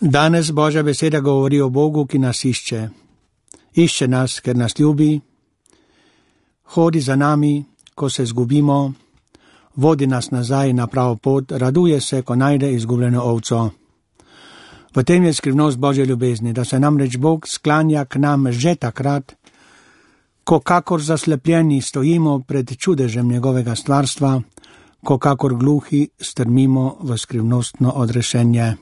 Danes Božja beseda govori o Bogu, ki nas išče. Išče nas, ker nas ljubi, hodi za nami, ko se zgubimo, vodi nas nazaj na pravo pot, raduje se, ko najde izgubljeno ovco. V tem je skrivnost Božje ljubezni, da se namreč Bog sklanja k nam že takrat, ko kakor zaslepljeni stojimo pred čudežem njegovega stvarstva, ko kakor gluhi strmimo v skrivnostno odrešenje.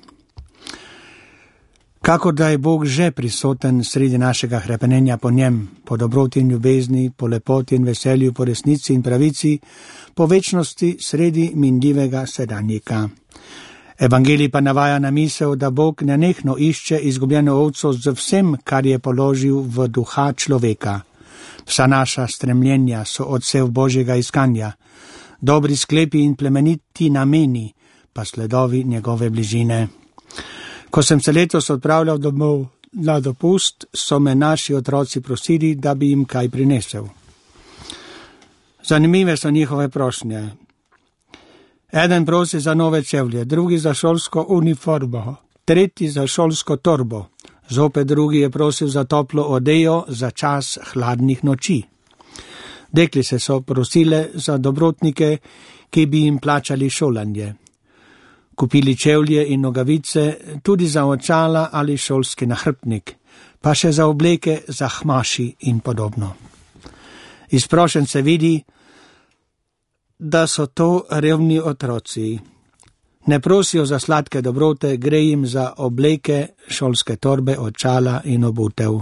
Kakor da je Bog že prisoten sredi našega hrepenenja po njem, po dobroti in ljubezni, po lepoti in veselju, po resnici in pravici, po večnosti sredi minljivega sedanjika. Evangelij pa navaja na misel, da Bog nenehno išče izgubljeno ovco z vsem, kar je položil v duha človeka. Vsa naša stremljenja so odsev Božjega iskanja, dobri sklepi in plemeniti nameni, pa sledovi njegove bližine. Ko sem se letos odpravljal domov na dopust, so me naši otroci prosili, da bi jim kaj prinesel. Zanimive so njihove prošnje. Eden prosi za nove čevlje, drugi za šolsko uniformo, tretji za šolsko torbo, zopet drugi je prosil za toplo odejo za čas hladnih noči. Deklice so prosile za dobrotnike, ki bi jim plačali šolanje. Kupili čevlje in nogavice, tudi za očala ali šolski nahrbtnik, pa še za obleke, za hmaši in podobno. Iz prošenj se vidi, da so to revni otroci. Ne prosijo za sladke dobrote, gre jim za obleke, šolske torbe, očala in obutev.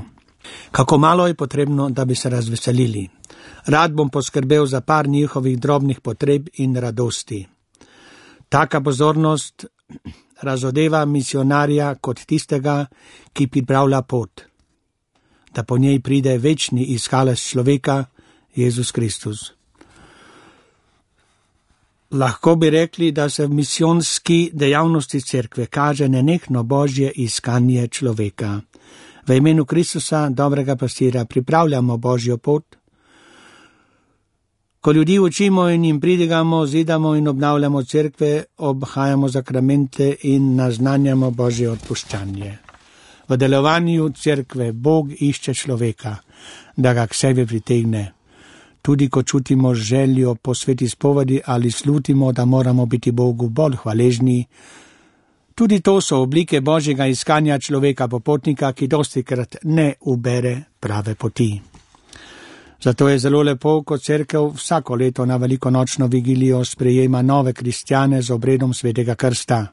Kako malo je potrebno, da bi se razveselili. Rad bom poskrbel za par njihovih drobnih potreb in radosti. Taka pozornost razodeva misionarja kot tistega, ki pripravlja pot, da po njej pride večni iskalec človeka, Jezus Kristus. Lahko bi rekli, da se v misijonski dejavnosti cerkve kaže nenehno Božje iskanje človeka. V imenu Kristusa, dobrega pastira, pripravljamo Božjo pot. Ko ljudi učimo in jim pridigamo, zidamo in obnavljamo cerkve, obhajamo zakramente in naznanjamo Božje odpuščanje. V delovanju cerkve Bog išče človeka, da ga k sebi pritegne. Tudi ko čutimo željo po sveti spovedi ali slutimo, da moramo biti Bogu bolj hvaležni, tudi to so oblike Božjega iskanja človeka popotnika, ki dostikrat ne ubere prave poti. Zato je zelo lepo, ko cerkev vsako leto na velikonočno vigilijo sprejema nove kristjane z obredom svetega krsta.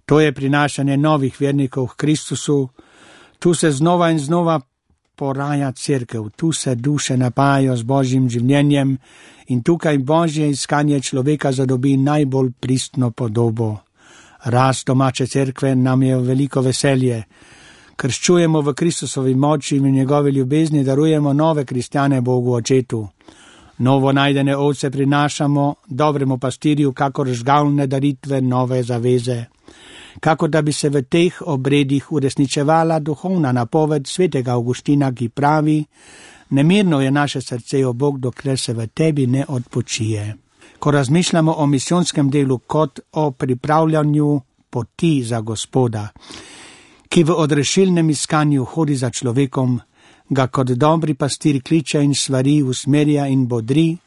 To je prinašanje novih vernikov k Kristusu, tu se znova in znova poraja cerkev, tu se duše napajajo z Božjim življenjem in tukaj Božje iskanje človeka zadobi najbolj pristno podobo. Rast domače cerkve nam je veliko veselje. Krščujemo v Kristusovi moči in v njegovi ljubezni darujemo nove kristjane Bogu Očetu. Novo najdene ovce prinašamo dobremu pastirju, kakor žgalne daritve nove zaveze. Kakor da bi se v teh obredih uresničevala duhovna napoved svetega Avguština, ki pravi: nemirno je naše srce, o Bog, dokler se v tebi ne odpočije. Ko razmišljamo o misijonskem delu kot o pripravljanju poti za Gospoda, ki v odrešilnem iskanju hodi za človekom, ga kot dobri pastir kliče in svari, usmerja in bodri,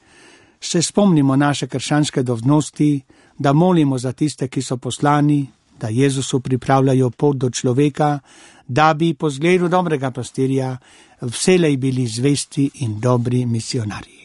se spomnimo naše krščanske dolžnosti, da molimo za tiste, ki so poslani, da Jezusu pripravljajo pot do človeka, da bi po zgledu dobrega pastirja vselej bili zvesti in dobri misionarji.